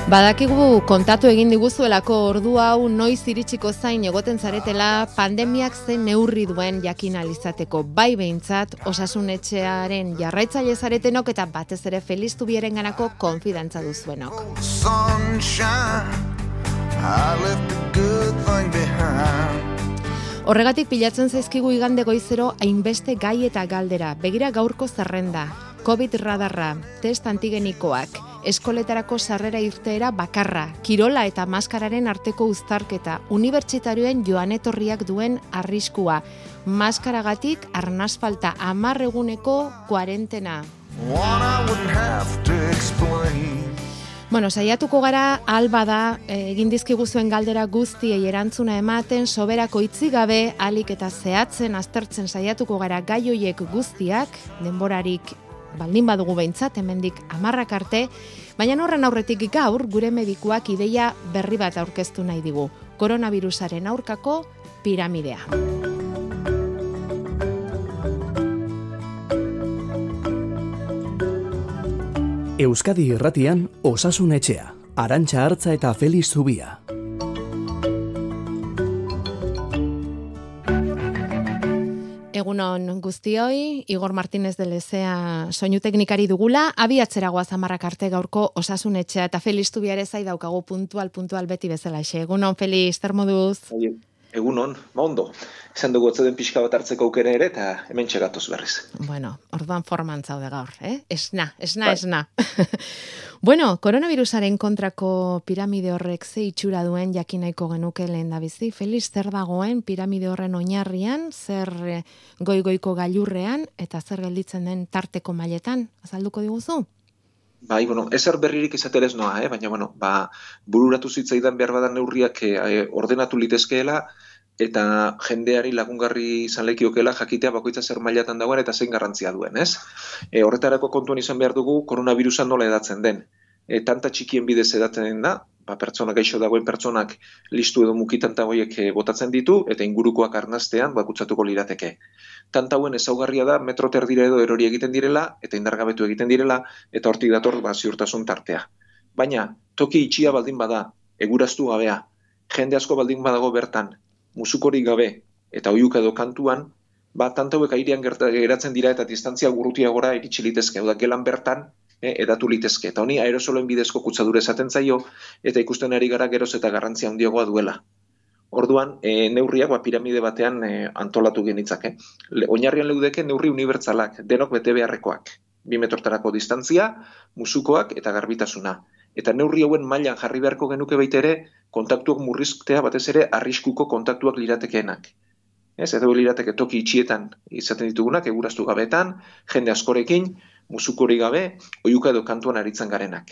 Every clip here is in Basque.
Badakigu kontatu egin diguzuelako ordu hau noiz iritsiko zain egoten zaretela pandemiak zen neurri duen jakin alizateko, bai behintzat osasun etxearen jarraitzaile zaretenok eta batez ere Feliz Zubierenganako konfidantza duzuenok. Horregatik pilatzen zaizkigu igande goizero hainbeste gai eta galdera. Begira gaurko zerrenda, COVID radarra, test antigenikoak, eskoletarako sarrera irteera bakarra, kirola eta maskararen arteko uztarketa, unibertsitarioen joan etorriak duen arriskua, maskaragatik arnaz falta 10 eguneko kuarentena. Saiatuko gara, alba da, egin dizkiguzuen galdera guztiei erantzuna ematen, soberako itzi gabe, alik eta zehatzen, aztertzen saiatuko gara gai hoiek guztiak, denborarik baldin badugu behintzat, hemendik 10 arte, baina horren aurretik gaur, gure medikuak ideia berri bat aurkeztu nahi digu. Koronavirusaren aurkako piramidea. Euskadi Irratian, Osasun Etxea, Arantxa Artza eta Feliz Zubia. Egunon guztioi, Igor Martínez de Lezea soinu teknikari dugula, abiatzera goaz 10 arte gaurko Osasun Etxea eta Feliz Zubia ere zai daukagu puntual beti bezala xe. Egunon, Feliz, zer moduz? Egunon, ondo. Esan dugu otzeden pixka bat hartzeko aukera ere eta hemen txegatoz berriz. Bueno, orduan forman zaude gaur, Esna. Bueno, koronavirusaren kontrako piramide horrek ze itxura duen jakin nahiko genuke lehendabizi. Feliz, zer dagoen piramide horren oinarrian, zer goigoiko gailurrean eta zer gelditzen den tarteko mailetan? Azalduko diguzu? Bai, ezer berririk izaterez noa, baina, bururatu zitzaidan behar badan neurriak ordenatu litezkeela eta jendeari lagungarri izan lekiokeela jakitea bakoitza zer mailatan dagoen eta zein garrantzia duen, ez? Horretarako kontuan izan behar dugu koronavirusa nola edatzen den. Tanta txikien bidez edatzen da, pertsona gaixo dagoen pertsonak listu edo mukitanta horiek botatzen ditu eta ingurukoak arnaztean kutsatuko lirateke. Tanta hauen ezaugarria da metro terdira edo erori egiten direla eta indargabetu egiten direla eta hortik dator ziurtasun tartea. Baina toki itxia baldin bada, eguraztu gabea, jende asko baldin badago bertan, musukorik gabe eta oihuka edo kantuan, tanta hauek airean geratzen dira eta distantzia gurrutiagora iritsi litezke, da gelan bertan edatu litezke. Eta honi aerosoloen bidezko kutsadura esaten zaio eta ikusten ari gara geroz eta garrantzia handiagoa duela. Orduan, neurriak piramide batean antolatu genitzake. Oinarrian leudeke neurri unibertsalak, denok bete beharrekoak. 2 metrotarako distantzia, musukoak eta garbitasuna. Eta neurri hauen mailan jarri beharko genuke baita ere, kontaktuak murriztea batez ere arriskuko kontaktuak liratekeenak. Edo lirateke toki itxietan izaten ditugunak, eguraztu gabetan, jende askorekin, musukorik gabe, oihuka edo kantuan aritzen garenak.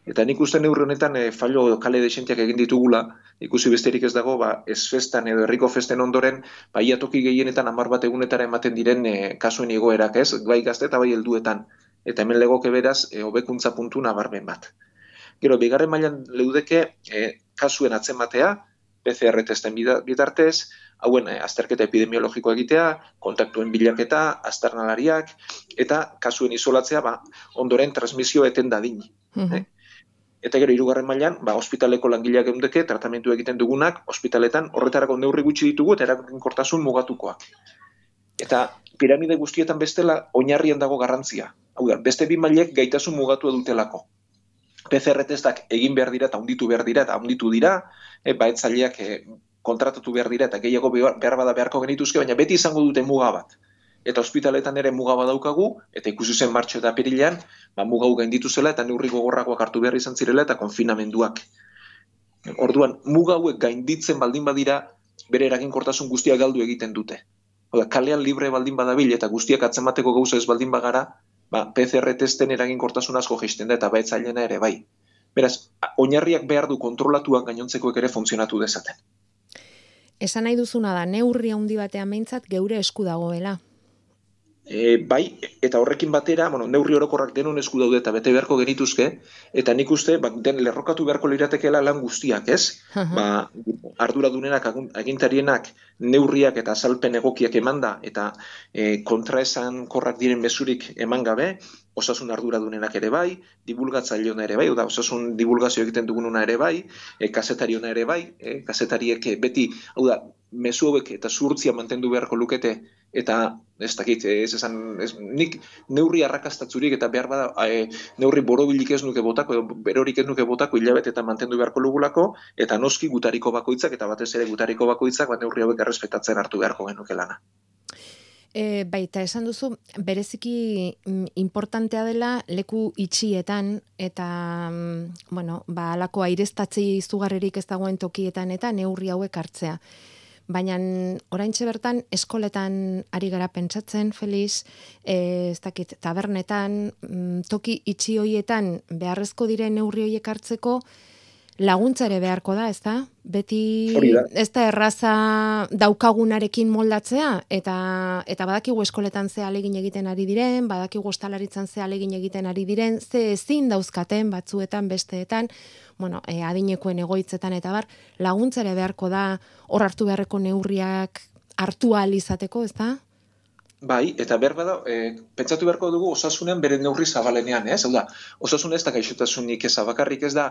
Eta nik uste neurri honetan fallo kale desentiak egin ditugula, ikusi besterik ez dago, ez festan edo herriko festen ondoren, ia toki gehienetan 10 egunetara ematen diren kasuen igoerak, bai gazte eta bai helduetan. Eta hemen legoke beraz, hobekuntza puntu nabarmen bat. Gero, bigarren mailan leudeke kasuen atzematea, PCR testen bitartez, hauen azterketa epidemiologikoa egitea, kontaktuen bilaketa, aztarnalariak, eta kasuen isolatzea ondoren transmisio eten dadin. Eta gero, 3. mailan, ospitaleko langileak eundeke, tratamentu egiten dugunak, ospitaletan horretarako neurri gutxi ditugu eta eraginkortasun mugatukoak. Eta piramide guztietan bestela, oinarrian dago garrantzia. Hau da, beste 2 mailek gaitasun mugatua dutelako. PCR testak egin behar dira eta hunditu behar dira eta hunditu dira, baetzaileak kontratatu behar dira eta gehiago behar bada beharko genituzke, baina beti izango dute muga bat. Eta ospitaletan ere muga badaukagu, eta ikusi zen martxo eta apirilean, muga gainditu zela eta neurri gogorrakoak hartu behar izan zirela eta konfinamenduak. Orduan, muga hauek gainditzen baldin badira, bere eraginkortasun guztiak galdu egiten dute. Kalean libre baldin badabil eta guztiak atzemateko gauza ez baldin bagara, PCR testen eraginkortasun asko jaisten da eta baetzailena ere bai. Beraz, oinarriak behar du kontrolatuak gainontzekoek ere funtzionatu dezaten. Esan nahi duzuna da, neurri handi batean behintzat geure esku dagoela. Bai, eta horrekin batera, neurri orokorrak denon esku daude eta bete beharko genituzke, eta nik uste, den lerrokatu beharko liratekeela lan guztiak, ez? Arduradunenak, agintarienak, neurriak eta azalpen egokiak emanda, eta kontraesan korrak diren mezurik eman gabe, osasun arduradunenak ere bai, divulgatzaileona ere bai, osasun divulgazio egiten dugununa ere bai, kazetariona ere bai, kazetariek beti, mezu hauek eta zuhurtzia mantendu beharko lukete, eta ez dakit, nik neurri arrakastatzurik eta behar bada neurri borobilik ez nuke botako, edo berorik ez nuke botako hilabete eta mantendu beharko lugulako, eta noski gutariko bakoitzak, eta batez ere gutariko bakoitzak, neurri hauek errespetatzen hartu beharko genuke lana. Baita esan duzu, bereziki importantea dela leku itxietan eta, alako aireztatzei izugarrerik ez dagoen tokietan eta neurri hauek hartzea. Baina oraintxe bertan eskoletan ari gara pentsatzen, Feliz, ez dakit, tabernetan, toki itxi hoietan beharrezko diren neurri hoiek hartzeko laguntza ere beharko da, ez da? Beti ez da erraza daukagunarekin moldatzea, eta badakigu eskoletan ze alegin egiten ari diren, badakigu ostalaritzan ze alegin egiten ari diren, ze ezin dauzkaten batzuetan, besteetan, adinekoen egoitzetan eta bar, laguntza ere beharko da hor hartu beharreko neurriak hartu ahal izateko, ez da? Bai, eta behar bada, pentsatu beharko dugu osasunean bere neurri zabalenean, ez? Hau da, osasun ez da gaixotasunik eza bakarrik ez da,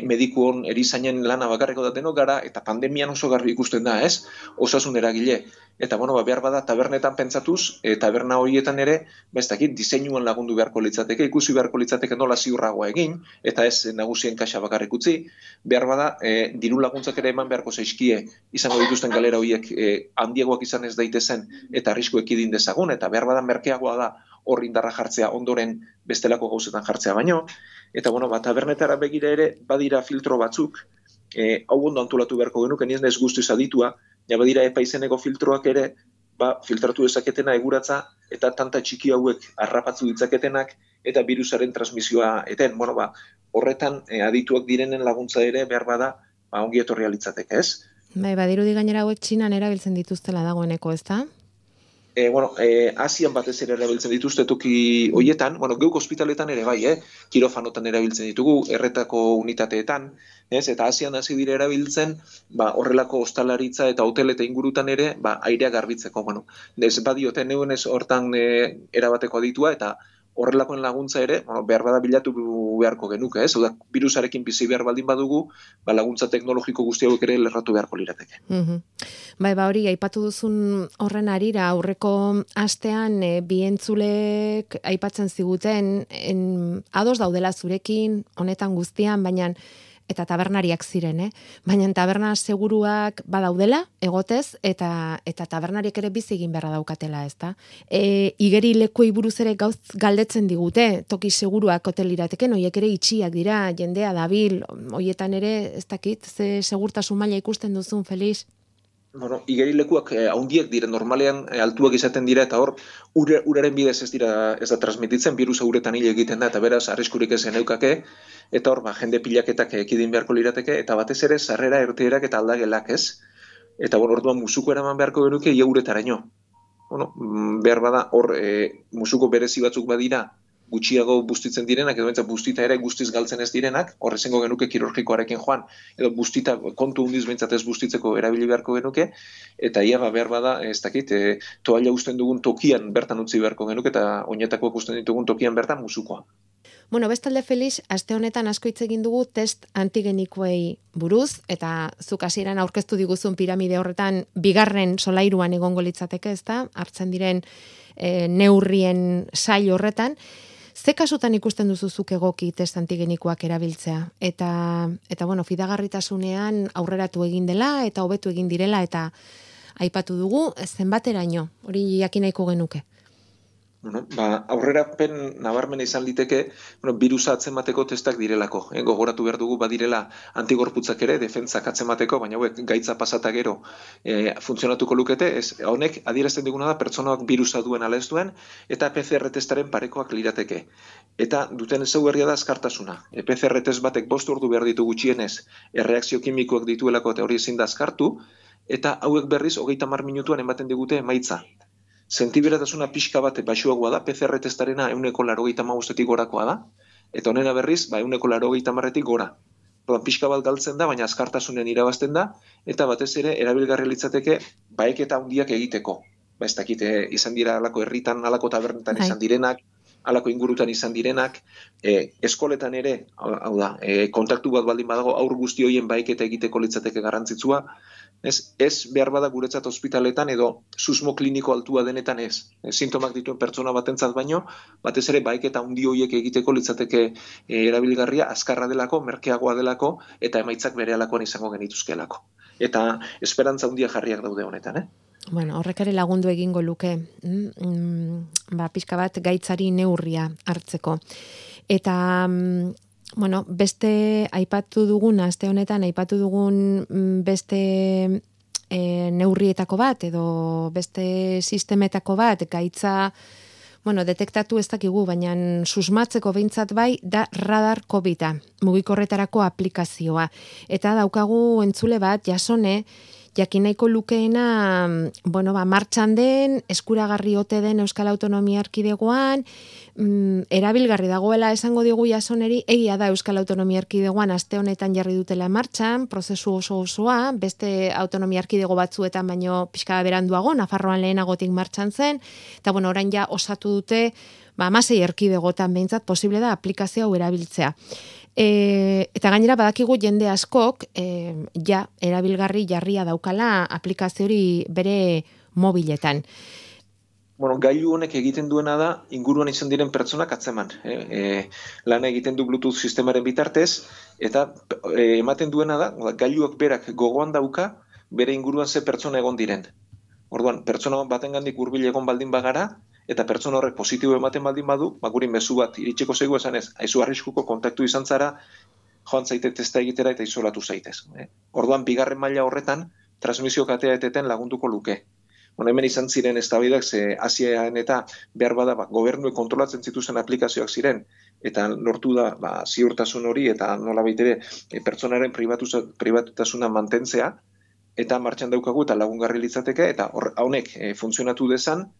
medikuon erizainen lana bakarriko da denok gara, eta pandemian oso garbi ikusten da, ez? Osasun eragile. Eta, behar bada, tabernetan pentsatuz, taberna horietan ere, ez dakit, diseinuan lagundu beharko litzateke, ikusi beharko litzateke nola ziurragoa egin, eta ez nagusien kaxa bakarrik utzi, behar bada, diru laguntzak ere eman beharko zaizkie, izango dituzten galera horiek handiagoak izan ez daitezen, eta arrisku ekidin dezagun, eta behar bada merkeagoa da hor indarra jartzea ondoren bestelako gauzetan jartzea baino, eta, tabernetara begira ere, badira filtro batzuk, hau ondo antolatu beharko genuke, nien ez guztiz aditua, badira epaizeneko filtroak ere, filtratu dezaketena eguratza, eta tanta txiki hauek harrapatzu ditzaketenak, eta virusaren transmisioa eten. Horretan adituak direnen laguntza ere behar bada, ongi etorria litzateke, ez? Badirudi gainera hauek Txinan erabiltzen dituztela dagoeneko, ez da? Asian batez ere erabiltzen dituzte toki hoietan, geuk ospitaletan ere bai, kirofanotan erabiltzen ditugu, erretako unitateetan, eta Asian hasi dire erabiltzen, horrelako ostalaritza eta hotel eta ingurutan ere, airea garbitzeko, ez badioten neuen ez hortan erabateko aditua, eta horrelakoen laguntza ere, behar bada bilatu beharko genuke, ez? Oda, virusarekin bizi behar baldin badugu, laguntza teknologiko guzti hauek ere lerratu beharko lirateke. Hori, aipatu duzun horren arira, aurreko astean bi entzulek aipatzen ziguten, ados daudela zurekin, honetan guztian, baina eta tabernariak ziren, baina taberna seguruak badaudela, egotez, eta tabernariek ere bizi egin beharra daukatela, ez da? Igeri lekuei buruz ere gauz galdetzen digute, toki seguruak hotelirateken, horiek ere itxiak dira, jendea dabil, horietan ere, ez dakit, ze segurtasun maila ikusten duzun, Feliz? Igeri lekuak haundiek dire, normalean altuak izaten dira, eta hor, uraren bidez ez da transmititzen, virusa uretan hile egiten da, eta beraz, arriskurik ezen eukake, eta hor, jende pilaketak ekidin beharko lirateke, eta batez ere, sarrera erteerak eta aldagelak, ez? Eta orduan musuko eraman beharko genuke, ia uretaraino. Behar bada, hor, musuko berezi batzuk badira, gutxiago bustitzen direnak, edo bentsa bustita ere guztiz galtzen ez direnak, horrezengo genuke kirurgikoarekin joan, edo bustita kontu hundiz bentsat ez bustitzeko erabili beharko genuke, eta ia behar bada, ez dakit, toalla usten dugun tokian bertan utzi beharko genuke, eta oinetakoak usten ditugun tokian bertan musukoa. Bestalde, Felix, aste honetan asko hitz egin dugu test antigenikoei buruz, eta zuk hasieran aurkeztu diguzun piramide horretan bigarren solairuan egongo litzateke, ezta? Hartzen diren neurrien sail horretan. Ze kasutan ikusten duzuzuk egoki test antigenikoak erabiltzea? Eta fidagarritasunean aurreratu egin dela, eta hobetu egin direla, eta aipatu dugu, zenbateraino, hori jakin nahiko genuke. Aurrerapen nabarmena izan liteke, birusa atzemateko testak direlako. Gogoratu behar dugu badirela antigorputzak ere, defentsak atzemateko, baina hauek gaitza pasata gero funtzionatuko lukete, honek adierazten diguna da pertsonak birusa duen ala ez duen, eta PCR testaren parekoak lirateke. Eta duten ezaugarria da azkartasuna. PCR test batek 5 ordu behar ditu gutxienez, erreakzio kimikoak dituelako eta hori ezin da azkartu, eta hauek berriz 30 minutuan ematen digute emaitza. sentiberatasuna pixka bat baxuagoa da, PCR testarena 185etik gorakoa da, eta honena berriz, 180etik gora. Orduan, pixka bat galtzen da, baina azkartasunen irabazten da, eta batez ere, erabilgarri litzateke, baeketa handiak egiteko. Ez dakite, izan dira alako herritan, alako tabernetan izan direnak, alako ingurutan izan direnak, eskoletan ere, hau da, kontaktu bat baldin badago, aur guzti horien baeketa egiteko litzateke garrantzitsua, ez behar bada guretzat ospitaletan edo susmo kliniko altua denetan ez. Sintomak dituen pertsona batentzat baino, batez ere baeketa handi horiek egiteko litzateke erabilgarria, azkarra delako, merkeagoa delako, eta emaitzak berehalakoan izango genituzkeelako. Eta esperantza handia jarriak daude honetan, Bueno, horrek ere lagundu egingo luke, pixka bat gaitzari neurria hartzeko. Eta, bueno, beste aipatu dugun, aste honetan aipatu dugun beste neurrietako bat, edo beste sistemetako bat, gaitza, bueno, detektatu ez dakigu, baina susmatzeko behintzat bai, da radar COVID-a, mugikorretarako aplikazioa. Eta daukagu entzule bat, Jasone, jakin nahiko lukeena, martxan den, eskuragarri ote den Euskal Autonomia Erkidegoan, erabilgarri dagoela esango digu Jasoneri, egia da Euskal Autonomia Erkidegoan aste honetan jarri dutela martxan, prozesu osoa, beste autonomia erkidego batzuetan baino pixka beranduago, Nafarroan lehenagotik martxan zen, eta orain ja osatu dute, 16 erkidegotan behintzat posible da aplikazio hau erabiltzea. Eta gainera badakigu jende askok erabilgarri jarria daukala aplikazio hori bere mobiletan. Bueno, gailu honek egiten duena da inguruan izan diren pertsonak atzeman. Lana egiten du Bluetooth sistemaren bitartez, eta ematen duena da, gailuak berak gogoan dauka, bere inguruan ze pertsona egon diren. Orduan, pertsona batengandik hurbil egon baldin bagara, eta pertsona horrek positibo ematen baldin badu, guri mezu bat iritsiko zaigu esanez, aizu arriskuko kontaktu izan zara, joan zaite testa egitera eta isolatu zaitez. Orduan, bigarren maila horretan, transmisio katea eteten lagunduko luke. Hemen izan ziren eztabaidak ze Asian eta behar bada gobernuek kontrolatzen zituzen aplikazioak ziren, eta lortu da ziurtasun hori eta nolabait ere pertsonaren pribatutasuna mantentzea, eta martxan daukagu eta lagungarri litzateke, eta honek funtzionatu dezan,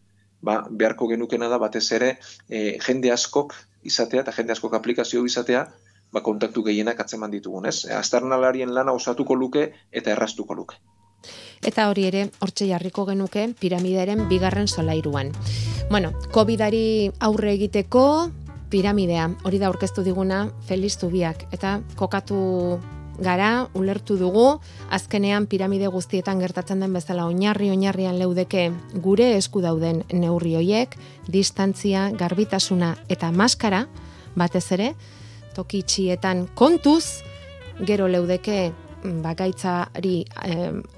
beharko genukena da batez ere jende askok izatea eta jende askok aplikazio izatea, kontaktu gehienak atzeman ditugun, ez? Aztarnalarien lana osatuko luke eta erraztuko luke. Eta hori ere, hortxe jarriko genuke piramidaren bigarren solairuan. Bueno, COVID-ari aurre egiteko piramidea, hori da aurkeztu diguna Feliz Zubiak, eta kokatu gara, ulertu dugu, azkenean piramide guztietan gertatzen den bezala oinarrian leudeke gure esku dauden neurri hoiek, distantzia, garbitasuna eta maskara, batez ere, toki itxietan kontuz, gero leudeke gaitzari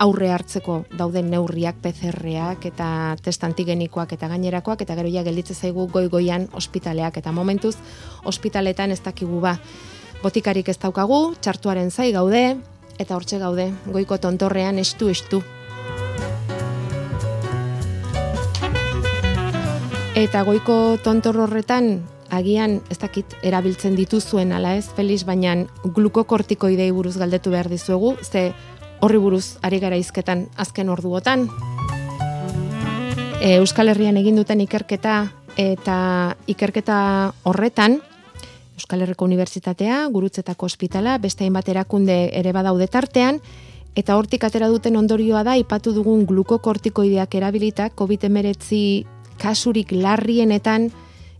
aurre hartzeko dauden neurriak, PCR-ak eta test antigenikoak eta gainerakoak, eta gero ja gelditze zaigu goian ospitaleak, eta momentuz ospitaletan ez dakigu botikarik ez daukagu, txartuaren zai gaude, eta hortxe gaude, goiko tontorrean estu. Eta goiko tontor horretan, agian, ez dakit, erabiltzen dituzuen ala ez, Felix, baina glukokortikoidei buruz galdetu behar dizuegu, ze horri buruz ari gara hizketan azken orduotan. Euskal Herrian egin duten ikerketa, eta ikerketa horretan, Euskal Herriko Unibertsitatea, Gurutzetako Ospitala, beste hainbat erakunde ere badaude tartean, eta hortik atera duten ondorioa da, aipatu dugun glukokortikoideak erabilitak COVID-19 kasurik larrienetan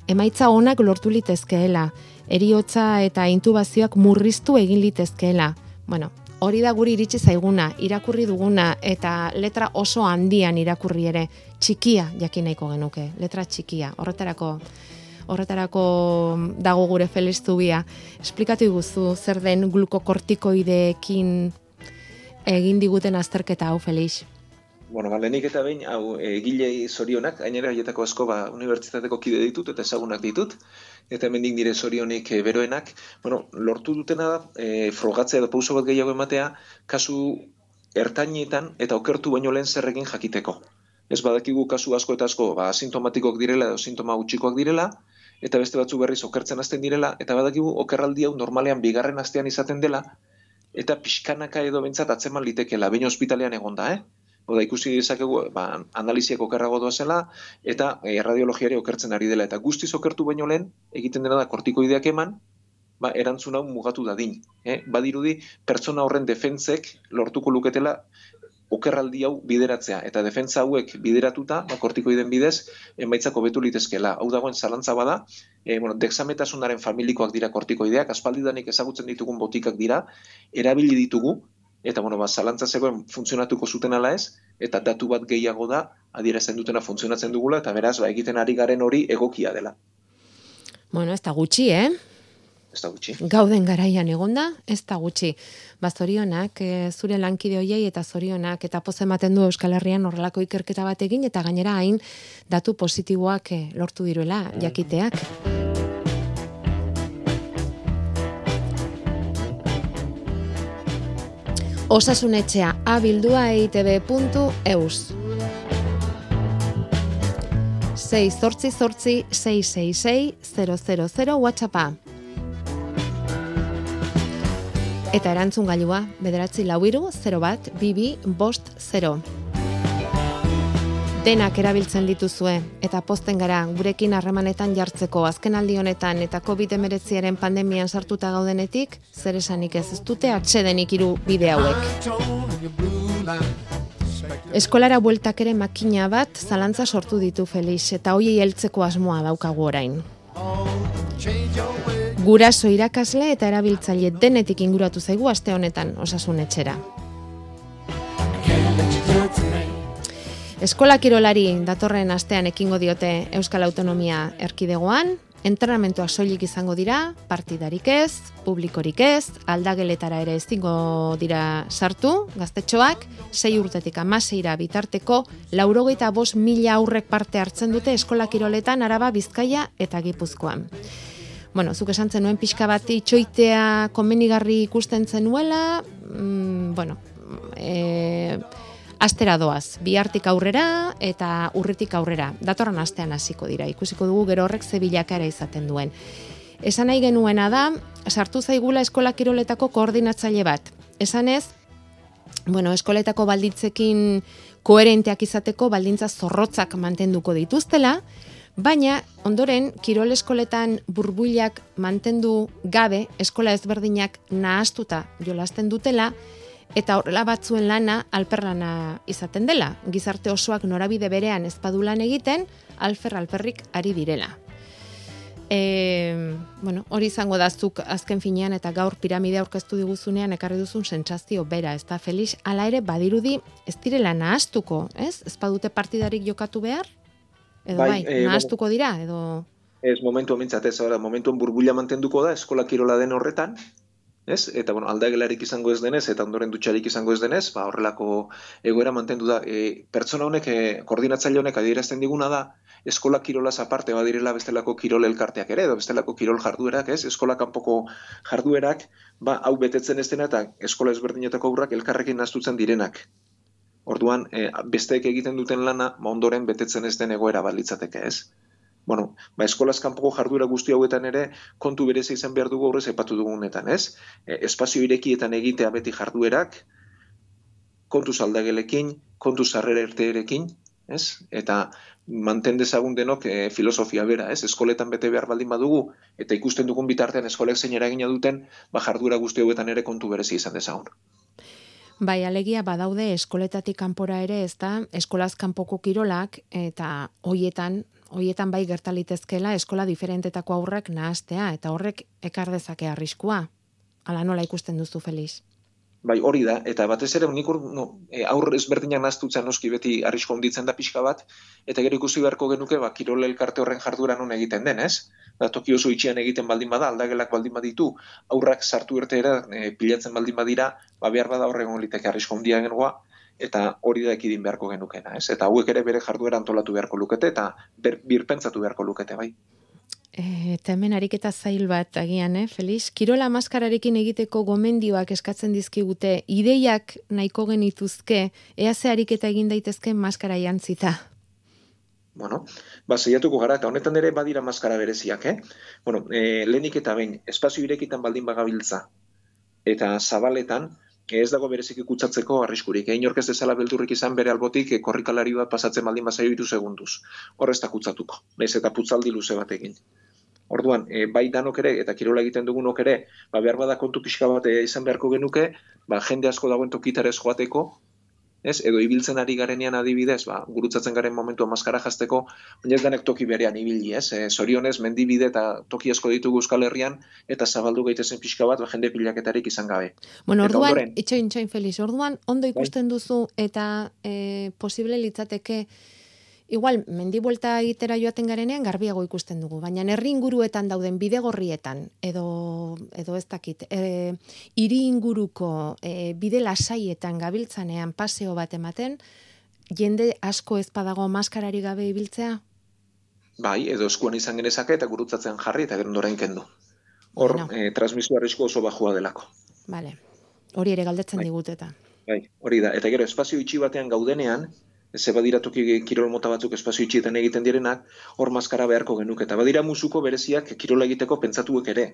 emaitza onak lortu litezkeela, heriotza eta intubazioak murriztu egin litezkeela. Bueno, hori da guri iritsi zaiguna, irakurri duguna, eta letra oso handian irakurri ere, txikia jakin nahiko genuke, letra txikia, horretarako dago gure Feliz Zubia. Esplikatu iguzu zer den glukokortikoideekin egin diguten azterketa hau, Felix? Lehenik eta behin, hau egilei zorionak, gainera haietako asko unibertsitateko kide ditut eta ezagunak ditut, eta hemendik nire zorionik beroenak, lortu dutena da, frogatzea edo pauso bat gehiago ematea, kasu ertainetan eta okertu baino lehen zerrekin jakiteko. Ez badakigu kasu asko eta asko asintomatikok direla edo sintoma gutxikoak direla, eta beste batzu berriz okertzen hasten direla, eta badakigu okerraldi hau normalean bigarren astean izaten dela, eta pixkanaka edo bentsat atzeman litekela, baina ospitalean egon da, Oda ikusi dezakegu, analiziak okerrago doazela, eta radiologiari okertzen ari dela. Eta guztiz okertu baino lehen, egiten dena da kortikoideak eman, erantzun hau mugatu dadin. Badirudi, pertsona horren defentsek lortuko luketela okerraldi hau bideratzea. Eta defentsa hauek bideratuta, kortikoiden bidez, emaitzak hobetu litezkela. Hau dagoen zalantza bada, dexametasunaren familikoak dira kortikoideak, aspaldidanik ezagutzen ditugun botikak dira, erabili ditugu, eta zalantza zegoen funtzionatuko zuten ala ez, eta datu bat gehiago da, adierazten dutena funtzionatzen dugula, eta beraz, egiten ari garen hori egokia dela. Bueno, ez da gutxi, Ez da gutxi. Gauden garaian egonda, ez da gutxi. Zorionak, zure lankide hoiei eta zorionak, eta poz ematen du Euskal Herrian horrelako ikerketa bat egin, eta gainera hain datu positiboak lortu diruela jakiteak. Osasunetxea abildua.eitb.eus 688-666-000 WhatsAppa. Eta erantzun gailua, 943-01-22-50. Denak erabiltzen dituzue, eta posten gara gurekin harremanetan jartzeko azkenaldi honetan eta COVID-19 pandemian sartuta gaudenetik, zer esanik ez dute atsedenik hiru bide hauek. Eskolara bueltak ere makina bat zalantza sortu ditu Felix, eta hoiei heltzeko asmoa daukagu orain. Guraso, irakasle eta erabiltzaile denetik inguratu zaigu aste honetan osasunetxera. Eskola kirolari datorren astean ekingo diote Euskal Autonomia Erkidegoan, entrenamentuak soilik izango dira, partidarik ez, publikorik ez, aldageletara ere ezingo dira sartu, gaztetxoak, 6 urtetik 16 bitarteko, 95.000 aurrek parte hartzen dute eskola kiroletan Araba, Bizkaia eta Gipuzkoan. Bueno, zuk esan zenuen pixka bat itxoitea komenigarri ikusten zenuela, astera doaz, bihartik aurrera eta urritik aurrera. Datorren astean hasiko dira, ikusiko dugu gero horrek ze bilakaera izaten duen. Esan nahi genuena da, sartu zaigula eskola kiroletako koordinatzaile bat. Esanez, eskoletako baldintzekin koherenteak izateko baldintza zorrotzak mantenduko dituztela, baina ondoren kirol eskoletan burbuilak mantendu gabe eskola ezberdinak nahastuta jolasten dutela, eta horrela batzuen lana alperlana izaten dela. Gizarte osoak norabide berean ez badu lan egiten, alperrik ari direla. Hori izango da zuk azken finean eta gaur piramide aurkeztu diguzunean ekarri duzun sentsazio bera, ez da Felix? Hala ere badirudi ez direla nahastuko, ez? Ez badute partidarik jokatu behar? Edo nahastuko dira? Edo... Ez momentu amintzat, momentuen burbuila mantenduko da eskola kirola den horretan, ez? Eta aldagelarik izango ez denez, eta ondoren dutxarik izango ez denez, horrelako egoera mantendu da. Pertsona honek, koordinatzaile honek adierazten diguna da, eskola kirolaz aparte badirela bestelako kirol elkarteak ere, edo bestelako kirol jarduerak, ez? Eskola kanpoko jarduerak, hau betetzen ez dena, eta eskola ezberdinetako aurrak elkarrekin nahaztutzen direnak. Orduan, besteek egiten duten lana, ondoren betetzen ez den egoera balitzateke, ez? Eskolaz kanpoko jarduera guzti hauetan ere kontu berezi izan behar dugu horrez epatu dugunetan, ez? Espazio irekietan egitea beti jarduerak, kontuz aldagelekin, kontuz sarrera irteerekin, ez? Eta manten dezagun denok filosofia bera, ez? Eskoletan bete behar baldin badugu, eta ikusten dugun bitartean eskolek zein eragina duten, jarduera guzti hauetan ere kontu berezi izan dezagun. Bai, alegia badaude eskoletatik kanpora ere, ez da, eskolaz kanpoko kirolak, eta hoietan bai gertalitezkela eskola diferentetako aurrak nahastea, eta horrek ekar dezake arriskua. Hala nola ikusten duzu, Felix? Bai, hori da, eta batez ere, aurre ezberdinak nahaztutzen noski beti arrisko handitzen da pixka bat, eta gero ikusi beharko genuke, kirol elkarte horren jarduera non egiten den, ez? Toki oso itxian egiten baldin bada, aldagelak baldin baditu, aurrak sartu irteera pilatzen baldin badira, behar bada horregon liteke arrisko handia gengoa, eta hori da ekidin beharko genukena, ez? Eta hauek ere bere jarduera antolatu beharko lukete, eta birpentsatu beharko lukete, bai. Eta hemen ariketa zail bat agian, Felix? Kirola maskararekin egiteko gomendioak eskatzen dizkigute, ideiak nahiko genituzke, ea ze ariketa egin daitezke maskara jantzita? Saiatuko gara, eta honetan ere badira maskara bereziak, lehenik eta behin, espazio irekitan baldin bagabiltza, eta zabaletan, ez dago bereziki kutsatzeko arriskurik. Inork ez dezala beldurrik izan bere albotik korrikalari bat pasatzen baldin bazaio 3 segunduz. Hor ez da kutsatuko, nahiz eta putzaldi luze batekin. Orduan, bai danok ere, eta kirola egiten dugunok ere, behar bada kontu pixka bat izan beharko genuke, jende asko dagoen tokitarez joateko, edo ibiltzen ari garenean adibidez, gurutzatzen garen momentua maskara jazteko, baina ez denek toki berean ibili, zorionez, mendibide eta toki asko ditugu Euskal Herrian, eta zabaldu gaitezen pixka bat, jende pilaketarik izan gabe. Bueno, orduan, itxoin Felix, orduan, ondo ikusten duzu, eta posible litzateke, igual, mendibuelta egitera joaten garenean garbiago ikusten dugu, baina herri inguruetan dauden bidegorrietan, edo ez dakit, hiri inguruko bide lasaietan gabiltzanean paseo bat ematen, jende asko ez badago maskarari gabe ibiltzea? Bai, edo eskuan izan genezake eta gurutzatzen jarri eta gero ondoren kendu. Hor, transmisio arrisku oso bajua delako. Vale, hori ere galdetzen digut eta. Bai, hori da, eta gero espazio itxi batean gaudenean, ze badira toki kirol mota batzuk espazio itxietan egiten direnak, hor maskara beharko genuke. Eta badira musuko bereziak kirola egiteko pentsatuek ere.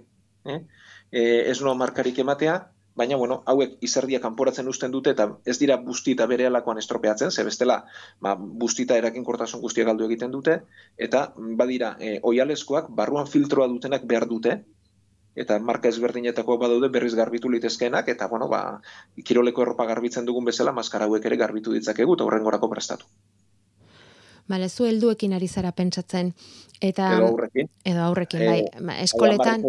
Ez noa markarik ematea, baina, hauek izerdia kanporatzen uzten dute, eta ez dira bustita bere alakoan estropeatzen, ze bestela, bustita eraginkortasun guztia galdu egiten dute, eta badira, oialeskoak, barruan filtroa dutenak behar dute, eta marka ezberdinetako badaude berriz garbitu litezkeenak, eta, kiroleko erropa garbitzen dugun bezala, maskara hauek ere garbitu ditzakegu, eta horrengorako prestatu. Bale, zu helduekin ari zara pentsatzen. Edo aurrekin. Edo aurrekin, bai. Eskoletan.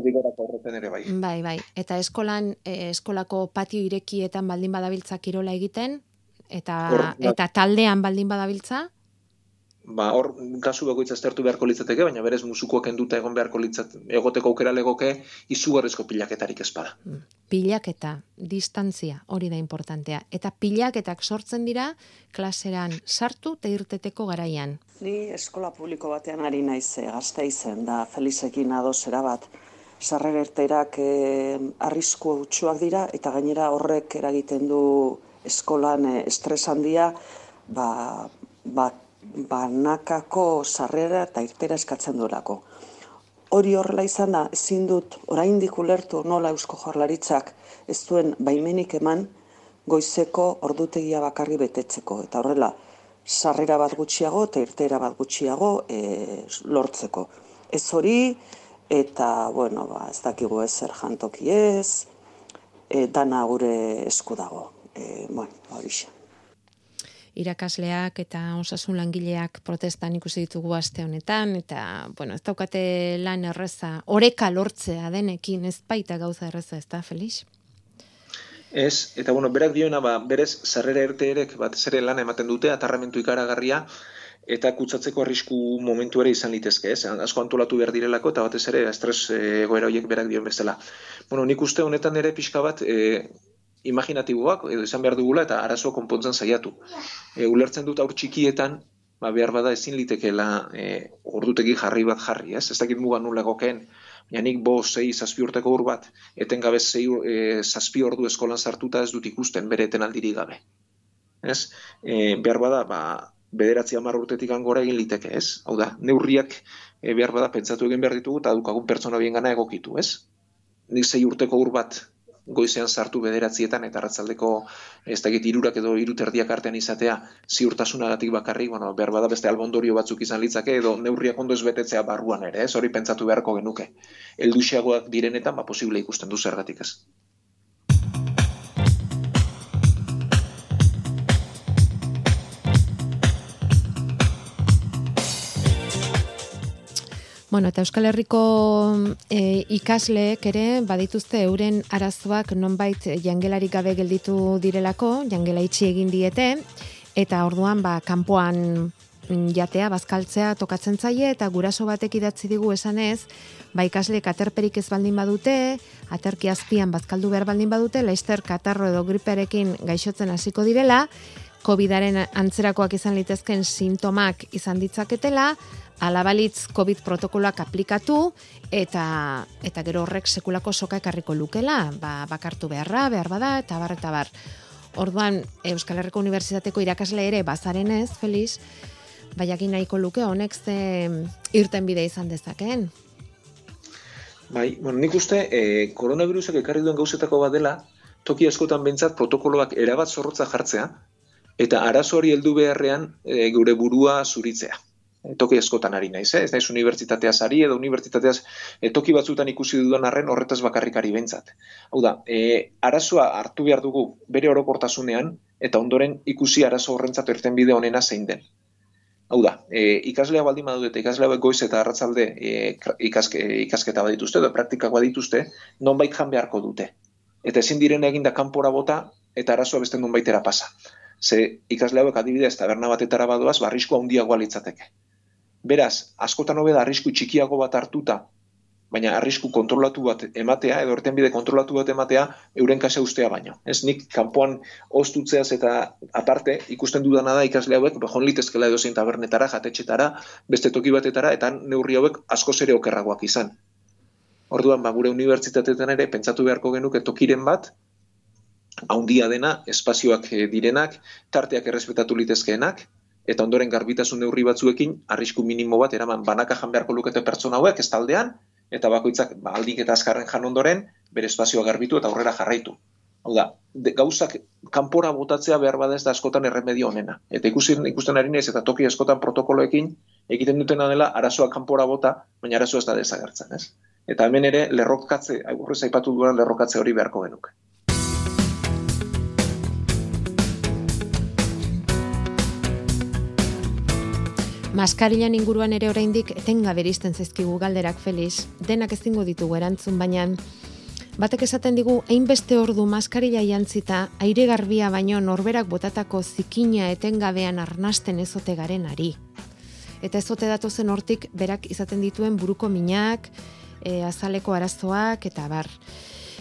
Bai. Eta eskolako patio irekietan baldin badabiltza kirola egiten, eta taldean baldin badabiltza? Hor, kasu bakoitza aztertu beharko litzateke, baina berez musukoak enduta egon beharko egoteko aukera legoke izugarrizko pilaketarik espada. Pilaketa, distantzia, hori da importantea. Eta pilaketak sortzen dira klaseran sartu eta irteteko garaian. Ni eskola publiko batean ari naiz Gasteizen, da Felizekin adosera bat. Sarrera irteerak arrisku hutsuak dira, eta gainera horrek eragiten du eskolan estres handia, banakako sarrera eta irtera eskatzen duelako. Hori horrela izan da, ezin dut oraindik ulertu nola Eusko Jaurlaritzak ez duen baimenik eman goizeko ordutegia bakarri betetzeko. Eta horrela, sarrera bat gutxiago eta irtera bat gutxiago lortzeko. Ez hori, eta, ez dakigu ezer jantoki ez, dana gure esku dago. Horixe. Irakasleak eta osasun langileak protestan ikusi ditugu aste honetan, eta, ez daukate lan erreza, oreka lortzea denekin, ez baita gauza erreza, ez da, Felix? Ez, eta berak dioena, berez, sarrera irteerek batez ere lan ematen dute, atarramentu ikaragarria, eta kutsatzeko arrisku momentu ere izan litezke, ez? Asko antolatu behar direlako, eta batez ere, estres egoera horiek berak dion bezala. Nik uste honetan ere pixka bat, imaginatiboak, edo izan behar dugula, eta arazo konpontzen saiatu. Ulertzen dut aur txikietan, behar bada ezin litekeela ordutegi jarri bat jarri, ez? Ez dakit mugan nula gokeen, baina nik 6-7 urteko ur bat, etengabe 7 ordu eskolan sartuta ez dut ikusten bere etenaldirik gabe. Ez? Behar bada, 9-10 urtetik gora egin liteke, ez? Hau da, neurriak behar bada pentsatu egin behar ditugu, eta dukagun pertsona bien gana egokitu, ez? Nik 6 urteko ur bat goizean sartu 9etan eta arratsaldeko ez dakit 3 edo 3:30 artean izatea ziurtasunagatik bakarrik, behar bada beste albondorio batzuk izan litzake edo neurriak ondo ez betetzea barruan ere, ez? Hori pentsatu beharko genuke. Helduxeagoak direnetan, posible ikusten du zergatik ez. Eta Euskal Herriko ikasleek ere badituzte euren arazoak nonbait jangelarik gabe gelditu direlako, jangela itxi egin diete, eta orduan kanpoan jatea, bazkaltzea tokatzen zaie, eta guraso batek idatzi digu esanez, ikasleek aterperik ez baldin badute, aterki azpian bazkaldu behar baldin badute, laster katarro edo gripearekin gaixotzen hasiko direla, COVID-aren antzerakoak izan litezken sintomak izan ditzaketela, alabalitz COVID protokoloak aplikatu, eta gero horrek sekulako soka ekarriko lukela, bakartu behar bada, eta bar. Orduan, Euskal Herriko Unibertsitateko irakasle ere bazarenez, Felix, jakin nahiko luke honek ze irten bide izan dezakeen. Nik uste, koronavirusak ekarri duen gauzetako bat dela, toki askotan behintzat protokoloak erabat zorrotza jartzea, eta arazo hori heldu beharrean gure burua zuritzea. Toki askotan ari naiz, ez naiz unibertsitateaz ari edo unibertsitateaz toki batzutan ikusi dudan arren horretaz bakarrikari behintzat. Hau da, arazoa hartu behar dugu bere orokortasunean, eta ondoren ikusi arazo horrentzat irtenbide onena zein den. Hau da, ikaslea baldin badute eta ikaslea goiz eta arratzalde ikasketa badituzte edo praktikak badituzte, nonbait jan beharko dute. Eta ezin diren eginda kanpora bota eta arazoa beste nonbaitera pasa. Ze ikasle hauek adibidez taberna batetara badoaz, arrisku handiagoa litzateke. Beraz, askotan hobe da arrisku txikiago bat hartuta, baina arrisku kontrolatu bat ematea, edo irtenbide kontrolatu bat ematea, euren kasa ustea baino. Ez nik kanpoan ostutzeaz eta aparte, ikusten dudana da ikasle hauek, bejon litezkela edozein tabernetara, jatetxetara, beste toki batetara, eta neurri hauek askoz ere okerragoak izan. Orduan, gure unibertsitateetan ere, pentsatu beharko genuke tokiren bat, haundia dena, espazioak direnak, tarteak errespetatu litezkeenak, eta ondoren garbitasun neurri batzuekin, arrisku minimo bat eraman banaka jan beharko lukete pertsona hauek, ez taldean, eta bakoitzak aldik eta azkarren jan ondoren, bere espazioa garbitu eta aurrera jarraitu. Hau da, gauzak kanpora botatzea behar bada ez da askotan erremedio honena. Eta ikusten ari naiz eta toki askotan protokoloekin egiten dutena dela arazoa kanpora bota, baina arazoa ez da desagertzen, ez? Eta hemen ere lerrokatze, aurrez aipatu duan lerrokatze hori beharko genuke. Maskarilan inguruan ere oraindik etengabe iristen zaizkigu galderak, Felix. Denak ezingo ditugu erantzun, baina batek esaten digu hainbeste ordu maskarila jantzita aire garbia baino norberak botatako zikina etengabean arnasten ezote garen ari. Eta ezote datozen hortik berak izaten dituen buruko minak, azaleko arazoak eta bar.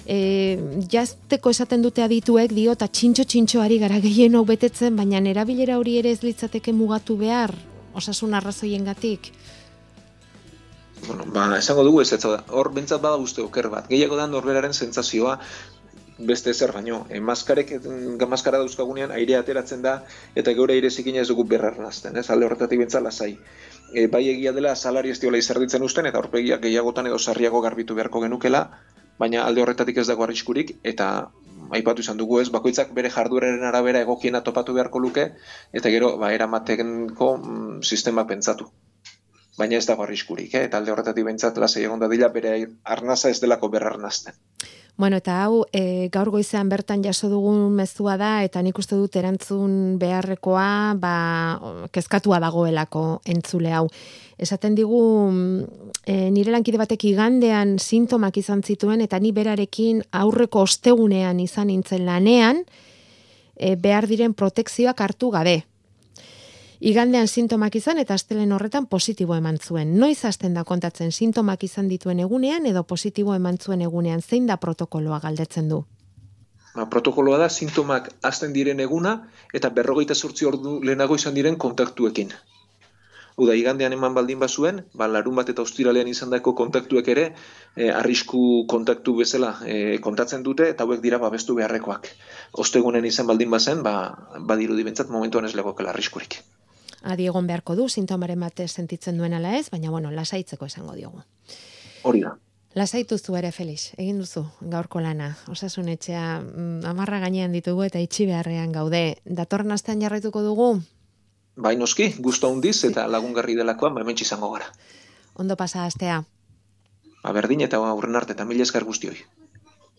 Jazteko esaten dute adituek dio eta txintxo ari gara gehienok betetzen, baina erabilera hori ere ez litzateke mugatu behar, osasun arrazoiengatik. Bueno, esango dugu ez da. Hor bentsat bada uste oker bat. Gehiago da norberaren sentsazioa beste ezer baino. Maskara dauzkagunean airea ateratzen da eta geure aire zikina ez dugu berrarnazten, ez? Alde horretatik bentsat lasai. Bai egia dela salari ez diola izerditzen usten eta aurpegiak gehiagotan edo sarriago garbitu beharko genukela, baina alde horretatik ez dago arriskurik eta aipatu izan dugu ez, bakoitzak bere jardueraren arabera egokiena topatu beharko luke eta gero eramatenko sistemak pentsatu. Baina ez dago arriskurik, eta alde horretatik behintzat lasai egon dadila bere arnaza ez delako berrarnazten. Bueno, eta hau, gaur goizean bertan jaso dugun mezua da, eta nik uste dut erantzun beharrekoa, kezkatua dagoelako entzule hau. Esaten digu, nire lankide batek igandean sintomak izan zituen, eta ni berarekin aurreko ostegunean izan nintzen lanean, behar diren protekzioak hartu gabe. Igandean sintomak izan eta astelehen horretan positibo eman zuen. Noiz hasten da kontatzen sintomak izan dituen egunean edo positibo eman zuen egunean, zein da protokoloa galdetzen du? Protokoloa da sintomak hasten diren eguna eta 48 ordu lehenago izan diren kontaktuekin. Uda, igandean eman baldin bazuen, larun bat eta ostiralean izandako kontaktuek ere, arrisku kontaktu bezala kontatzen dute eta hauek dira babestu beharrekoak. Ostegunen izan baldin bazen, badirudi bentsat momentuan ez legokela arriskurik. Adi egon beharko du, sintomaren bat sentitzen duen ala ez, baina lasaitzeko esango diogu. Hori da. Lasaitu zu ere, Felix, egin duzu gaurko lana. Osasun etxea 10 gainean ditugu eta itxi beharrean gaude. Datorren astean jarraituko dugu? Bai noski, gustu handiz eta lagungarri delakoan hementsi izango gara. Ondo pasa astea. Berdin eta aurren arte eta mila esker guztioi.